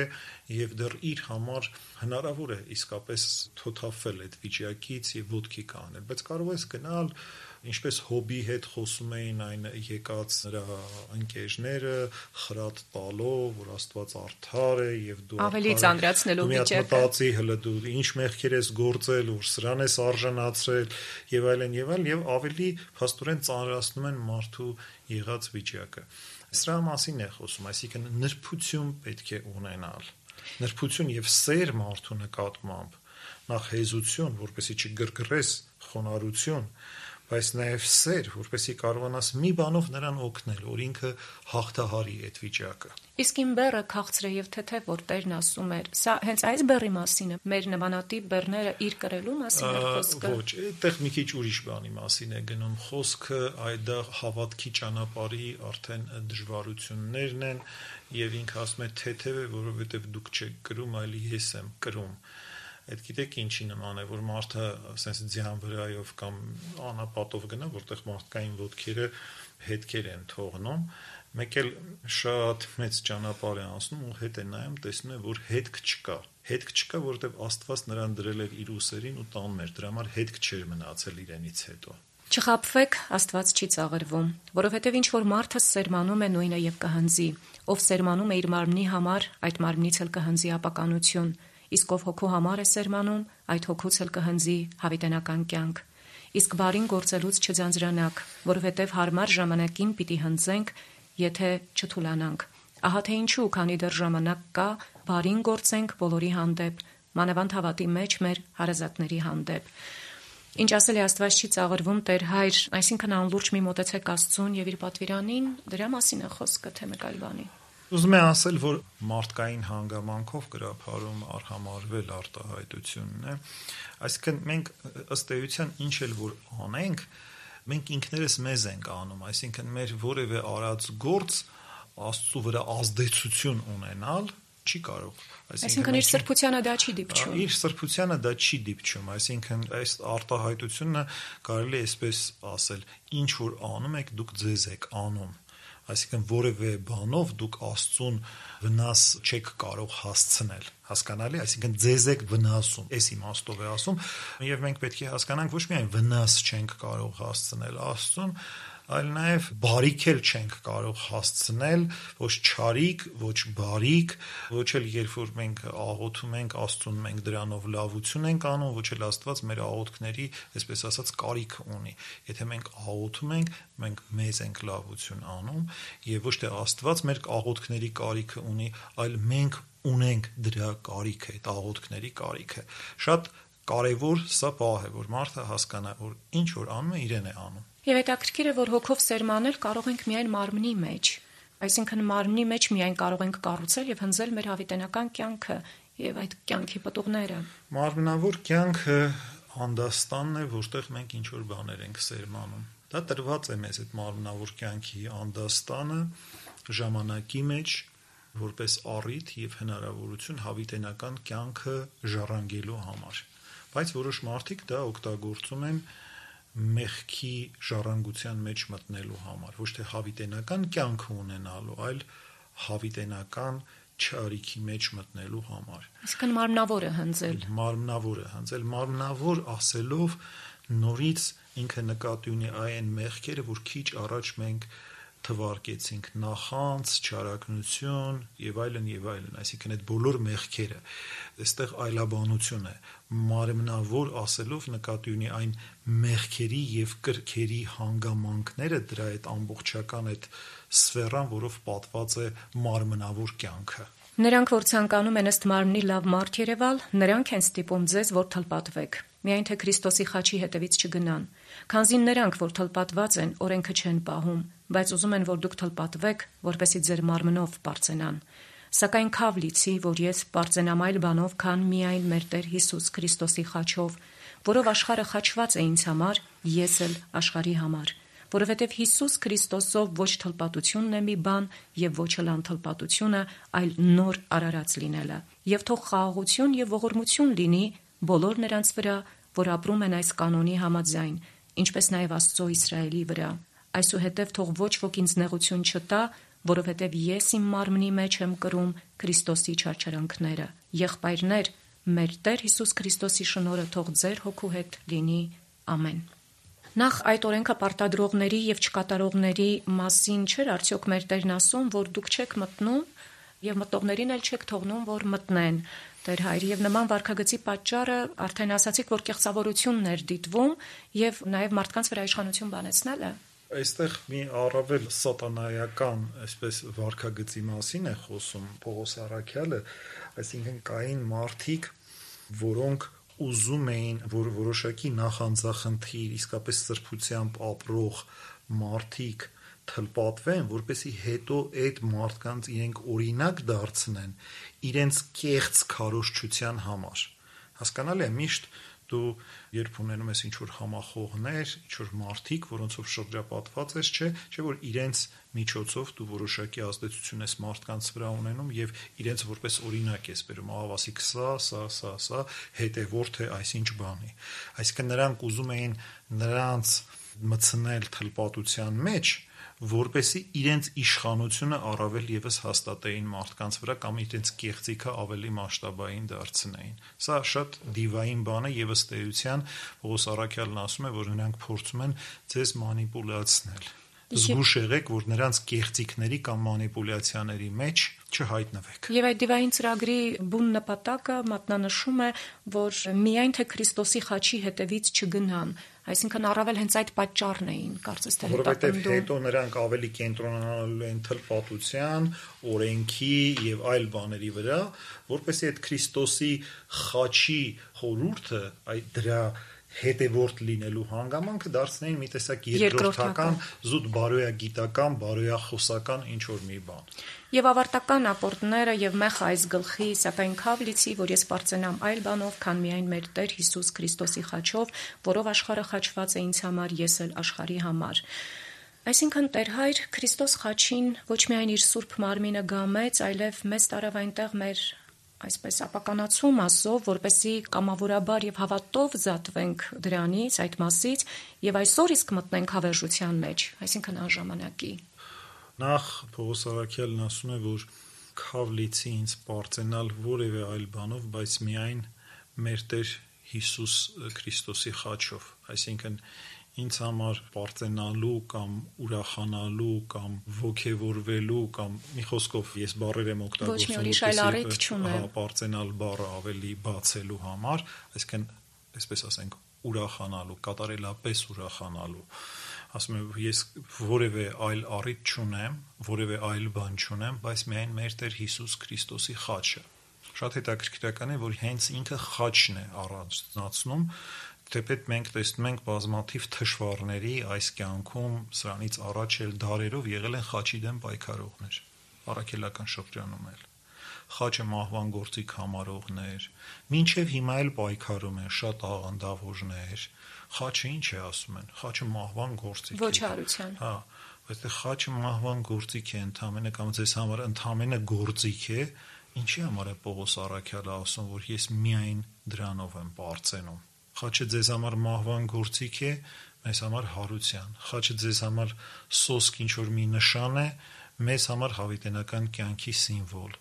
եւ դեռ իր համար հնարավոր է իսկապես թոթափվել այդ վիճակից եւ ոտքի կանել, բայց կարող ես գնալ ինչպես Հոբի հետ խոսում էին այն եկած նրա ընկերները, խրատ տալով, որ Աստված արդար է եւ դու ավելի ծանրացնելու վիճակը, մտածի հələ դու ինչ մեղքեր ես գործել, որ սրան ես արժանացրել եւ այլն եւ ավելի փաստորեն ծանրացնում են մարդու եղած վիճակը։ Սրա մասին է խոսում, այսինքն նրբություն պետք է ունենալ, նրբություն եւ սեր մարդու նկատմամբ, նախ հեզություն, որպեսզի չգրգռես խոնարհություն, բայց նաև սեր, որպեսզի կարողանաս մի բանով նրան օգնել, որ ինքը հաղթահարի այդ վիճակը։ Իսկ իմ բեռը քաղցր է եւ թեթև, որ Տերն ասում էր, սա հենց այս բեռի մասին է, մեր նմանատիպ բեռները իր կրելու մասին է խոսքը։ Ոչ, այդտեղ մի քիչ ուրիշ բանի մասին է գնում խոսքը, այդ դա հավատքի ճանապարհի արդեն դժվարություններն են եւ ինքը ասում է թեթև է, որովհետեւ դուք չեք կրում, այլ ես եմ կրում։ Այդ գիտեք ինչի նման է, որ մարդը ասես ձյան վրայով կամ անապատով գնա, որտեղ մարդկային ոտքերը հետքեր են թողնում, մեկ էլ շատ մեծ ճանապարհ է անցնում ու հետ է նայում, տեսնում է, որ հետք չկա, որովհետև Աստված նրան դրել էր իր ուսերին ու տանում էր, դրա համար հետք չէր մնացել իրենից հետո։ Չխաբվեք, Աստված չի ծաղրվում, որովհետև ինչ որ մարդը սերմանում է նույնը եւ կհնձի, ով սերմանում է իր մարմնի համար, այդ մարմնից էլ կհնձի ապականություն, իսկ ով հոգու համար է սերմանում, այդ հոգուց էլ կհնձի հավիտենական կյանք։ Իսկ բարին գործելուց չձանձրանաք, որովհետև հարմար ժամանակին պիտի հնձենք, եթե չթուլանանք։ Ահա թե ինչու, քանի դեռ ժամանակ կա, բարին գործենք բոլորի հանդեպ, մանավանդ հավատի մեջ մեր հարազատների հանդեպ։ Ինչ ասել է Աստված չի ծաղրվում Տեր Հայր, այսինքն անլուրջ մի մոտեցեք Աստծուն եւ իր պատվիրանին, դրա մասին է խոսքը, թե մեկ այլ բանի։ Ուզում եմ ասել, որ մարդկային հանգամանքով գրափարում արհամարվել արտահայտությունն է, այսինքն մենք ըստ էության ինչ էլ որ անենք, մենք ինքներս մեզ ենք անում, այսինքն մեր որևէ արած գործ Աստծու վրա ազդեցություն ունենալ չի կարող։ Այսինքն իր սրբությանը դա չի դիպչում։ Իր սրբությանը դա չի դիպչում, այսինքն այս արտահայտությունը կարելի է այսպես ասել, ինչ որ անում եք, դուք ձեզ եք անում։ Այսինքն որևէ բանով դուք Աստծուն վնաս չեք կարող հասցնել, հասկանալի, այսինքն ձեզ եք վնասում, այս իմաստով է ասում, եւ մենք պետք է հասկանանք ոչ միայն վնաս չենք կարող հասցնել Աստծուն, այլ նաև բարիք էլ չենք կարող հասցնել, ոչ չարիք, ոչ բարիք, ոչ էլ երբ որ մենք աղոթում ենք Աստծուն, մենք դրանով լավություն ենք անում, ոչ էլ Աստված մեր աղոթքների, այսպես ասած, կարիքը ունի։ Եթե մենք աղոթում ենք, մենք մեզ ենք լավություն անում, եւ ոչ թե Աստված մեր աղոթքների կարիքը ունի, այլ մենք ունենք դրա կարիքը, այդ աղոթքների կարիքը։ Շատ կարևոր սա բան է, որ մարդը հասկանա, որ ինչ որ անում է, իրեն է անում։ Եվ հետաքրքիր է, որ հոգով սերմանել կարող ենք միայն մարմնի մեջ, այսինքն մարմնի մեջ միայն կարող ենք կառուցել եւ հնձել մեր հավիտենական կյանքը եւ այդ կյանքի պտուղները։ Մարմնավոր կյանքը անդաստանն է, որտեղ մենք ինչ որ բաներ ենք սերմանում։ Դա տրված է մեզ այդ մարմնավոր կյանքի անդաստանը ժամանակի մեջ, որպես առիթ եւ հնարավորություն հավիտենական կյանքը ժառանգելու համար։ Բայց որոշ մարդիկ դա օգտագործում են մեղքի ժառանգության մեջ մտնելու համար, ոչ թե հավիտենական կյանք ունենալու, այլ հավիտենական չարիքի մեջ մտնելու համար։ Այսինքն մարմնավորը հնձել։ Մարմնավոր ասելով նորից ինքը նկատի ունի այն մեղքերը, որ քիչ առաջ մենք թվարկեցինք՝ նախանց, չարագնություն եւ այլն, այսինքն այդ բոլոր մեղքերը։ Այստեղ այլաբանություն է։ Մարմնավոր ասելով նկատի ունի այն մեղքերի եւ կրքերի հանգամանքները, դրա այդ ամբողջական այդ սֆերան, որով պատված է մարմնավոր կյանքը։ Նրանք, որ ցանկանում են ըստ մարմնի լավ մարդ երևալ, նրանք են ստիպում ձեզ, որ թլպատվեք, միայն թե Քրիստոսի խաչի հետևից չգնան, քանզի նրանք, որ թլպատված են, օրենքը չեն պահում, բայց ուզում են, որ դուք թլպատվեք, որպեսզի ձեր մարմնով պարծենան։ Սակայն քավ լիցի, որ ես պարծենամ այլ բանով, քան միայն մեր Տեր Հիսուս Քրիստոսի խաչով, որով աշխարհը խաչված է ինձ համար, ես էլ աշխարհի համար, որովհետև Հիսուս Քրիստոսով ոչ թլպատությունն է մի բան եւ ոչ էլ անթլպատությունը, այլ նոր արարած լինելը։ Եվ թող խաղաղություն եւ ողորմություն լինի բոլոր նրանց վրա, որ ապրում են այս կանոնի համաձայն, ինչպես նաեւ Աստծո Իսրայելի վրա։ Այսուհետև թող ոչ ոք ինձ նեղություն չտա, որովհետև ես իմ մարմնի մեջ եմ կրում Քրիստոսի չարչարանքները։ Եղբայրներ, մեր Տեր Հիսուս Քրիստոսի շնորհը թող ձեր հոգու հետ լինի։ Ամեն։ Նախ այդ օրենքը պարտադրողների եւ չկատարողների մասին չէր արդյոք մեր Տերն ասում, որ դուք չեք մտնում եւ մտողներին էլ չեք թողնում, որ մտնեն։ Տեր Հայր, եւ նման վարքագծի պատճառը արդեն ասացիք, որ կեղծավորությունն էր դիտվում եւ նաեւ մարդկանց վրա իշխանություն բանեցնելը։ Այստեղ մի առավել սատանայական, այսպես վարքագծի մասին է խոսում Պողոս առաքյալը, այսինքն կային մարդիկ, որոնք ուզում էին, որ որոշակի նախանձախնդիր, իսկապես սրբությամբ ապրող մարդիկ թլպատվեն, որպեսզի հետո այդ մարդկանց իրենք օրինակ դարձնեն իրենց կեղծ քարոզչության համար։ Հասկանալի է, միշտ դու երբ ունենում ես ինչ-որ համախոհներ, ինչ-որ մարդիկ, որոնցով շրջապատված ես, չէ որ իրենց միջոցով դու որոշակի ազդեցություն ես մարդկանց վրա ունենում եւ իրենց որպես օրինակ ես բերում, ավասիկ սա, հետևորդ է այսինչ բանի։ Այսինքն նրանք ուզում էին նրանց մտցնել թլպատության մեջ, որպեսզի իրենց իշխանությունը առավել եւս հաստատեին մարդկանց վրա կամ իրենց կեղծիքը ավելի մասշտաբային դարձնեին։ Սա շատ դիվային բան է եւ ըստ էության Պողոս առաքյալն ասում է, որ նրանք փորձում են ձեզ մանիպուլացնել։ Զգուշ եղեք, որ նրանց կեղծիքների կամ մանիպուլյացիաների մեջ չհայտնվեք։ Եվ այդ դիվային ծրագրի բուն նպատակը մատնանշում է, որ միայն թե Քրիստոսի խաչի հետևից չգնան, այսինքն առավել հենց այդ պատճառն էին, կարծես թե հետապնդում։ Որովհետև հետո նրանք ավելի կենտրոնանալու են թլպատության, օրենքի եւ այլ բաների վրա, որպեսզի այդ Քրիստոսի խաչի խորհուրդը, այդ դրա հետևորդ լինելու հանգամանքը դարձնեին մի տեսակ երկրորդական, զուտ բարոյագիտական, բարոյախոսական ինչ-որ մի բան։ Եվ ավարտական ապորտները եւ մեխ այս գլխի, սակայն քավ լիցի, որ ես պարծենամ այլ բանով, քան միայն մեր Տեր Հիսուս Քրիստոսի խաչով, որով աշխարհը խաչված է ինձ համար, ես էլ աշխարհի համար։ Այսինքն Տեր Հայր Քրիստոս խաչին ոչ միայն իր սուրբ մարմինը գամեց, այլև մեզ տարավ այնտեղ մեր այսպես ապականացում ասով, որպեսզի կամավորաբար եւ հավատով զատվենք դրանից, այդ մասից, եւ այսօր իսկ մտնենք հավերժության մեջ, այսինքն անժամանակի։ Նախ Պողոս առաքյալն ասում է, որ քավ լիցի ինձ պարծենալ որևէ այլ բանով, բայց միայն մեր Տեր Հիսուս Քրիստոսի խաչով, այսինքն ինձ համար պարծենալու կամ ուրախանալու կամ ոգևորվելու կամ մի խոսքով ես բառեր եմ օգտագործում, պարծենալ բառը ավելի բացելու համար, այսինքն այսպես ասենք ուրախանալու, կատարելապես ուրախանալու։ Ասում եմ, ես որևէ այլ առիթ չունեմ, որևէ այլ բան չունեմ, բայց միայն մեր Տեր Հիսուս Քրիստոսի խաչը։ Շատ հետաքրքրական է, որ հենց ինքը խաչն է առանձնացնում, թեպետ մենք տեսնում ենք բազմաթիվ թշվառների այս կյանքում սրանից առաջ էլ դարերով եղել են խաչի դեմ պայքարողներ, առաքելական շրջանում էլ։ Խաչը մահվան գործիք համարողներ, մինչև հիմա էլ պայքարում են շատ աղանդավորներ։ Խաչը ինչ է ասում են, խաչը մահվան գործիք է։ Ոչարության։ Հա, բայց խաչը մահվան գործիք է ընդամենը կամ ձեզ համար ընդամենը գործիք է, ինչի համար է Պողոս առաքյալը ասում, որ ես միայն դրանով եմ պարծենում։ Խաչը ձեզ համար մահվան գործիք է, մեզ համար հարության, խաչը ձեզ համար սոսկ ինչ-որ մի նշան է, մեզ համար հավիտենական կյանքի սիմվոլ,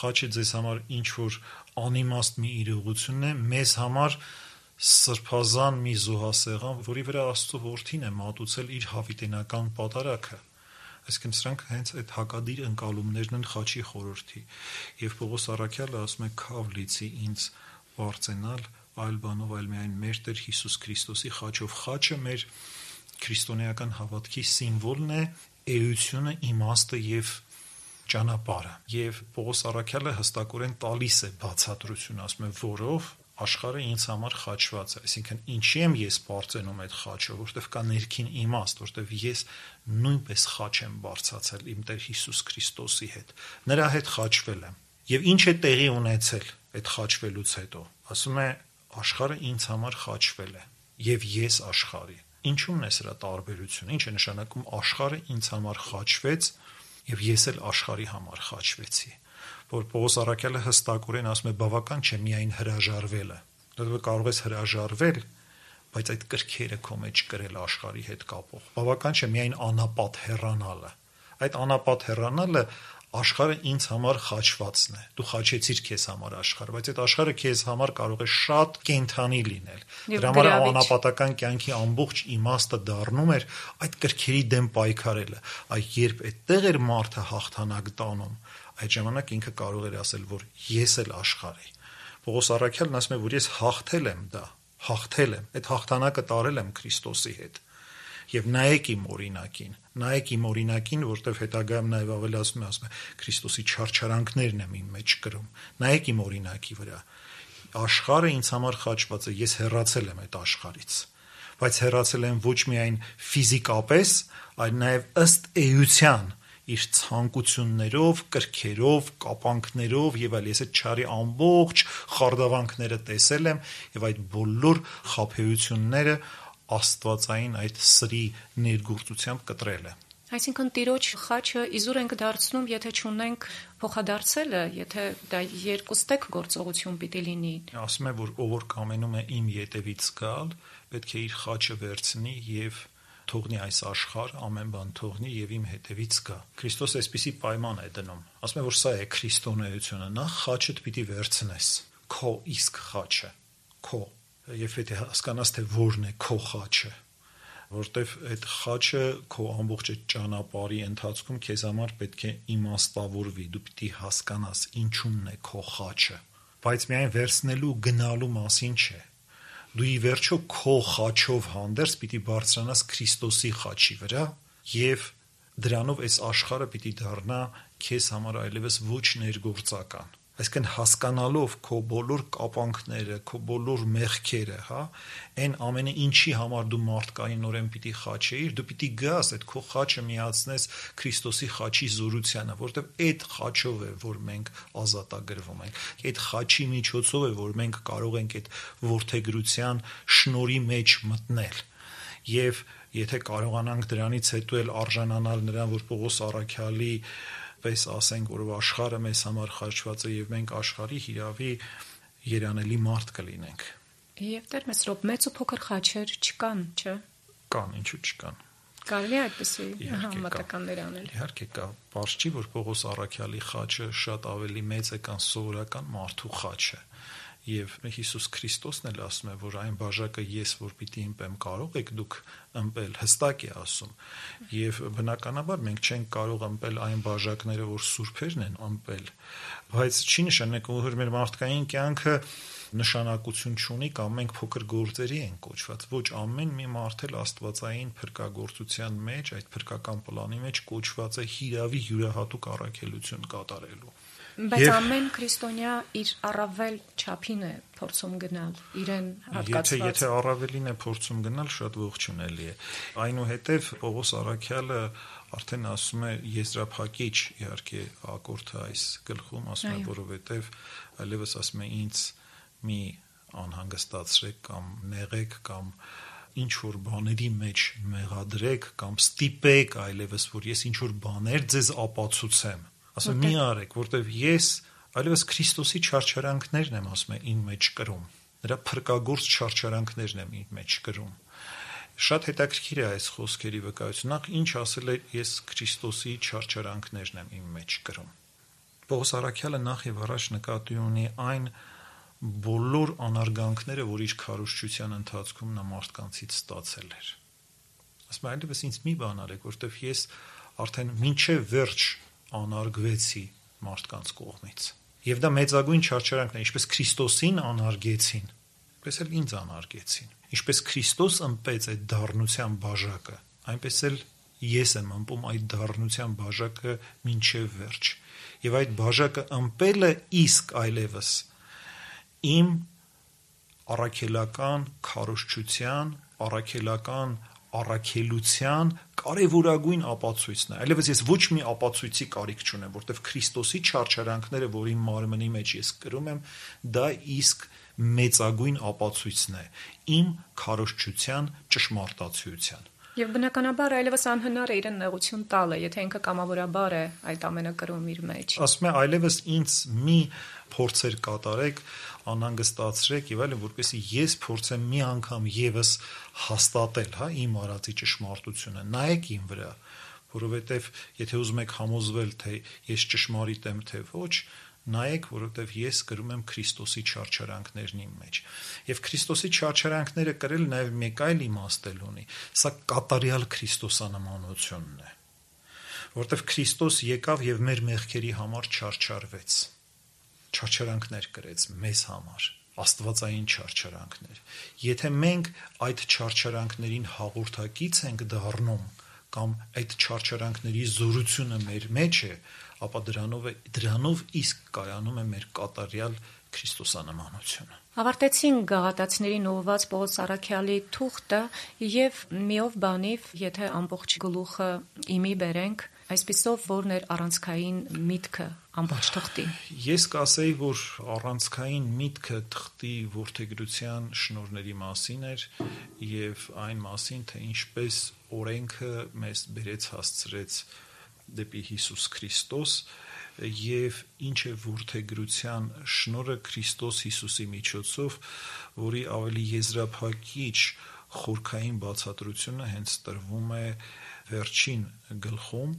խաչը ձեզ համար ինչ-որ անիմաստ մի իրողություն է, մեզ համար սրբազան մի զոհասեղան, որի վրա Աստծո որդին է մատուցել իր հավիտենական պատարագը, այսինքն սրանք հենց այդ հակադիր ընկալումներն են խաչի խորհրդի, եւ Պողոս առաքյալը ասում է «Քավ լիցի ինձ բարձենալ այլ բանով, այլ միայն մեր Տեր Հիսուս Քրիստոսի խաչով»։ Խաչը մեր քրիստոնեական հավատքի սիմվոլն է, էությունը, իմաստը եւ ճանապարհը։ Եվ Պողոս առաքյալը հստակորեն տալիս է բացատրություն, ասում է որով աշխարհը ինձ համար խաչված է, այսինքն ինչի եմ ես բարձենում այդ խաչը, որտեղ կա ներքին իմաստ, որտեղ ես նույնպես խաչ եմ բարձացել իմ Տեր Հիսուս Քրիստոսի հետ, նրա հետ խաչվել եմ։ Եվ ինչ է տեղի ունեցել այդ խաչվելուց հետո։ Ասում է աշխարհը ինձ համար խաչվել է եւ ես աշխարհի։ Ինչու՞մն է սրա տարբերությունը։ Ինչ է նշանակում աշխարհը ինձ համար խաչվեց եւ ես էլ աշխարհի համար խաչվեցի։ Որ Պողոս առաքյալը հստակորեն ասում է բավական չէ միայն հրաժարվելը։ Դու կարող ես հրաժարվել, բայց այդ կրքերը քո մեջ կրել աշխարհի հետ կապող։ Բավական չէ միայն անապատ հեռանալը։ Այդ անապատ հեռանալը աշխարհը ինձ համար խաչվածն է։ Դու խաչեցիր քեզ համար աշխարհը, բայց այդ աշխարհը քեզ համար կարող է շատ կենդանի լինել։ Դրա համար անապատական կյանքի ամբողջ իմաստը դառնում էր այդ կրքերի դեմ պայքարելը։ Այ երբ այդտեղ էր մարդը հաղթանակ տանում, այդ ժամանակ ինքը կարող էր ասել, որ ես էլ աշխարհ եմ։ Պողոս առաքյալն ասում է, որ ես հաղթել եմ դա, հաղթել եմ, այդ հաղթանակը տարել եմ Քրիստոսի հետ։ Եվ նայեք իմ օրինակին, որտեղ հետագայում նաև ավելի ասում է Քրիստոսի չարչարանքներն եմ իմ մեջ կրում։ Նայեք իմ օրինակի վրա։ Աշխարհը ինձ համար խաչված է, ես հեռացել եմ այդ աշխարհից։ Բայց հեռացել եմ ոչ միայն ֆիզիկապես, այլ նաև ըստ էության իր ցանկություններով, կրքերով, կապանքներով եւ այլ ես այդ չարի ամբողջ խարդավանքները տեսել եմ եւ այդ բոլոր խաբեությունները աստվածային այդ սրի ներգործությամբ կտրել է։ Այսինքն տիրոջ խաչը իզուր ենք դարձնում, եթե չունենք փոխադարձելը, եթե դա երկուստեք գործողություն պիտի լինի։ Ասում է, որ ով որ կամենում է իմ ետևից գալ, պետք է իր խաչը վերցնի եւ թողնի այս աշխարհ, ամեն բան թողնի եւ իմ հետևից գա։ Քրիստոս այսպիսի պայման է դնում։ Ասում է, որ սա է քրիստոնեությունը, նախ խաչդ պիտի վերցնես, քո իսկ խաչը, քո, եւ եթե հասկանաս թե որն է քո խաչը, որտեվ այդ խաչը քո ամբողջ ճանապարհի ընթացքում քեզ համար պետք է իմաստավորվի, դու պիտի հասկանաս ինչումն է քո խաչը, բայց միայն վերցնելու գնալու մասին չէ։ Դու ի վերջո քո խաչով հանդերձ պիտի բարձրանաս Քրիստոսի խաչի վրա եւ դրանով այս աշխարհը պիտի դառնա քեզ համար այլևս ոչ ներգործական։ Այսինքն հասկանալով քո բոլոր կապանքները, քո բոլոր մեղքերը, այն ամենը ինչի համար դու մարդկայինորեն պիտի խաչեիր, դու պիտի գաս այդ քո խաչը միացնես Քրիստոսի խաչի զորությանը, որտեղ այդ խաչով է, որ մենք ազատագրվում ենք։ Այդ խաչի միջոցով է, որ մենք կարող ենք այդ որդեգրության շնորհի մեջ մտնել։ Եվ եթե կարողանանք դրանից հետո էլ արժանանալ նրան, որ Պողոս առաքյալի պես ասենք, որ աշխարհը մեզ համար խաչված է եւ մենք աշխարհի հիրավի երանելի մարդ կլինենք։ Եվ Տեր Մեսրոպ, մեծ ու փոքր խաչեր չկան, չէ՞։ Կան, ինչու չկան։ Կարելի է այդպեսի համատականներ անել։ Իհարկե կա, բարձ չի, որ Պողոս առաքյալի խաչը շատ ավելի մեծ է, քան սովորական մարդու խաչը։ Եվ Հիսուս Քրիստոսն էլ ասում է, որ այն բաժակը ես որ պիտի ըմպեմ կարող եք դուք ըմպել, հստակ է ասում։ Եվ բնականաբար մենք չենք կարող ըմպել այն բաժակները, որ սուրբերն են ըմպել, բայց չի նշանակում, որ մեր մարդկային կյանքը նշանակություն չունի կամ մենք փոքր գործերի ենք կոչված։ Ոչ, ամեն մի մարդ էլ աստվածային փրկagorցության մեջ, այդ փրկական պլանի մեջ կոչված է հիրավի յուրահատուկ առաքելություն կատարելու։ Բայց ամեն քրիստոնյա իր առավել չափին է փորձում գնալ, իրեն հատկացված։ Եթե առավելին է փորձում գնալ, շատ ողջունելի է։ Այնուհետև Պողոս առաքյալը արդեն ասում է եզրափակիչ, իհարկե ակորդը այս գլխում ասում է, որովհետև այլևս ասում է ինձ մի անհանգստացրեք կամ նեղեք կամ ինչ որ բաների մեջ մեղադրեք կամ ստիպեք այլևս, որ ես ինչ որ բաներ ձեզ ապացուցեմ։ Ասում մի արեք, որտեվ ես այլևս Քրիստոսի չարչարանքներն եմ ասում իմ մեջ կրում, նրա փրկagorց չարչարանքներն եմ իմ մեջ կրում։ Շատ հետաքրքիր է այս խոսքերի վկայությունը։ Նախ ինչ ասել է, ես Քրիստոսի չարչարանքներն եմ իմ մեջ կրում։ Պողոս Առաքյալը նախ եւ առաջ նկատի ունի այն բոլոր անարգանքները, որ իր քարոզչության ընթացքում նա մարդկանցից ստացել էր։ Ասում է, այլևս ինձ մի բան արեք, որտեվ ես արդեն մինչև վերջ անարգվեցի մարդկանց կողմից։ Եվ դա մեծագույն չարչարանքն է, ինչպես Քրիստոսին անարգեցին, այնպես էլ ինձ անարգեցին։ Ինչպես Քրիստոս ըմպեց այդ դառնության բաժակը, այնպես էլ ես եմ ըմպում այդ դառնության բաժակը մինչև վերջ։ Եվ այդ բաժակը ըմպելը իսկ այլևս իմ առաքելական քարոզչության, առաքելական առաքելության կարևորագույն ապացույցն է։ Այլևս ես ոչ մի ապացույցի կարիք չունեմ, որտեղ Քրիստոսի չարչարանքները, որ իմ մարմնի մեջ ես կրում եմ, դա իսկ մեծագույն ապացույցն է իմ քարոզչության ճշմարտացիության։ Եվ բնականաբար այլևս անհնար է իրեն նեղություն տալը, եթե ինքը կամավորաբար է այդ ամենը կրում իր մեջ։ Ասում է, այլևս ինձ մի փորձեր կատարեք, անհանգստացրեք եւ այլն, որպեսզի ես փորձեմ մի անգամ եւս հաստատել, իմ արածի ճշմարտությունը։ Նայեք իմ վրա, որովհետեւ եթե ուզում եք համոզվել, թե ես ճշմարիտ եմ, թե ոչ, նայեք, որովհետև ես կրում եմ Քրիստոսի չարչարանքներն իմ մեջ։ Եվ Քրիստոսի չարչարանքները կրել նաև մեկ այլ իմաստ ունի։ Սա կատարյալ քրիստոսանմանությունն է, որովհետև Քրիստոս եկավ եւ մեր մեղքերի համար չարչարվեց։ Չարչարանքներ կրեց մեզ համար, աստվածային չարչարանքներ։ Եթե մենք այդ չարչարանքներին հաղորդակից ենք դառնում, կամ այդ չարչարանքների զորությունը մեր մեջ է, ապա դրանով իսկ կայանում է մեր կատարյալ քրիստոսանմանությունը։ Ավարտեցինք գաղատացիներին ուղղված Պողոս Առաքյալի թուղթը եւ միով բանիվ, եթե ամբողջ գլուխը իմի բերենք, այսպիսով որն էր առանցքային միտքը ամբողջ թղթի։ Ես կասեի, որ առանցքային միտքը թղթի որդեգրության շնորհների մասին էր եւ այն մասին, թե ինչպես օրենքը մեզ բերեց հասցրեց դեպի Հիսուս Քրիստոս եւ ինչ է որդեգրության շնորհը Քրիստոս Հիսուսի միջոցով, որի ավելի եզրափակիչ խորքային բացատրությունը հենց տրվում է վերջին գլխում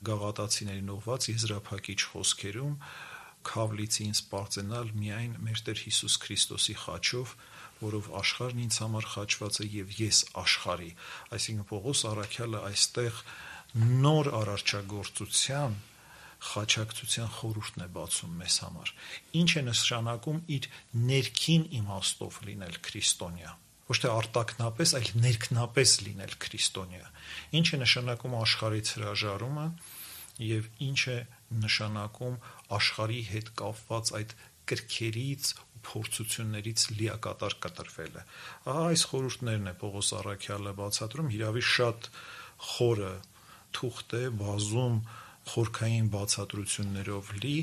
գաղատացիներին ուղված եզրափակիչ խոսքերում, քավլիցին սպարծենալ միայն մեր Տեր Հիսուս Քրիստոսի խաչով, որով աշխարհն ինձ համար խաչված է եւ ես աշխարհի։ Այսինքն Պողոս Առաքյալը այստեղ նոր արարչագործության խաչակցության խորհուրդն է բացում մեզ համար։ Ինչ է նշանակում իր ներքին իմաստով լինել քրիստոնյա, ոչ թե արտաքնապես, այլ ներքնապես լինել քրիստոնյա։ Ինչ է նշանակում աշխարհից հրաժարումը եւ ինչ է նշանակում աշխարհի հետ կապված այդ կրքերից ու փորձություններից լիակատար կտրվելը։ Ահա այս խորհուրդներն է Պողոս Առաքյալը բացատրում, հիրավի շատ խորը թուղթ է, բազում խորքային բացատրություններով լի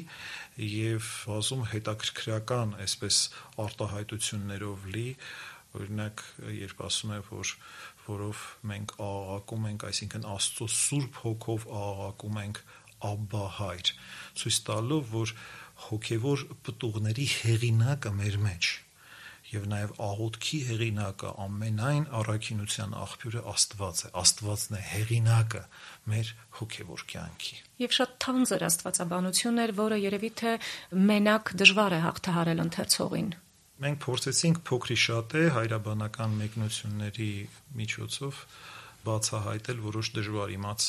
եւ բազում հետաքրքրական այսպես արտահայտություններով լի, օրինակ երբ ասում է, որով մենք աղաղակում ենք, այսինքն Աստծո Սուրբ Հոգով աղաղակում ենք Աբբա Հայր, ցույց տալով, որ հոգևոր պտուղների հեղինակը մեր մեջ եւ նաեւ աղոթքի հեղինակը, ամենայն առաքինության աղբյուրը Աստված է, Աստվածն է հեղինակը մեր հոգևոր կյանքի։ Եվ շատ թանձր աստվածաբանություն էր, որը երևի թե մենակ դժվար է հաղթահարել ընթերցողին։ Մենք փորձեցինք փոքրի շատե հայրաբանական մեկնությունների միջոցով բացահայտել որոշ դժվար իմաց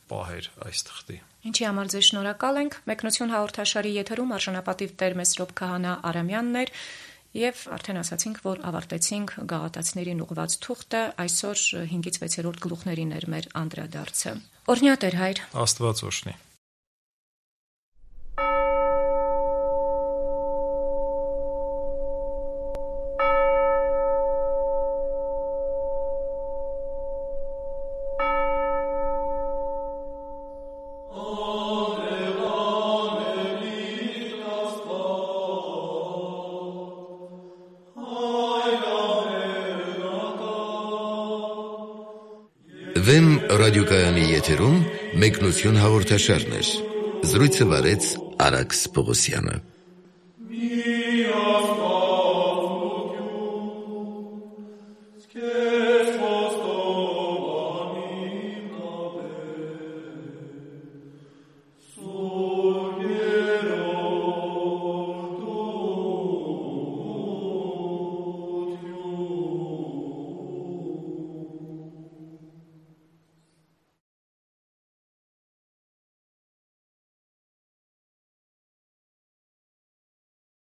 պահեր այս թղթի։ Ինչի համար ձեզ շնորհակալ ենք։ Մեկնություն հաղորդաշարի եթերում արժանապատիվ Տեր Մեսրոպ Քահանա Արամյանն էր եւ արդեն ասացինք, որ ավարտեցինք գաղատացիներին ուղղված թուղթը, այսօր 5-ից 6-րդ գլուխներին էր մեր անդրադարձը։ Օրհնյա Տեր Հայր։ Աստված օրհնի։ Վեմ ռադիոկայանի եթերում մեկնություն հաղորդաշարներ։ Զրույցը վարեց Արաքս Պողոսյանը։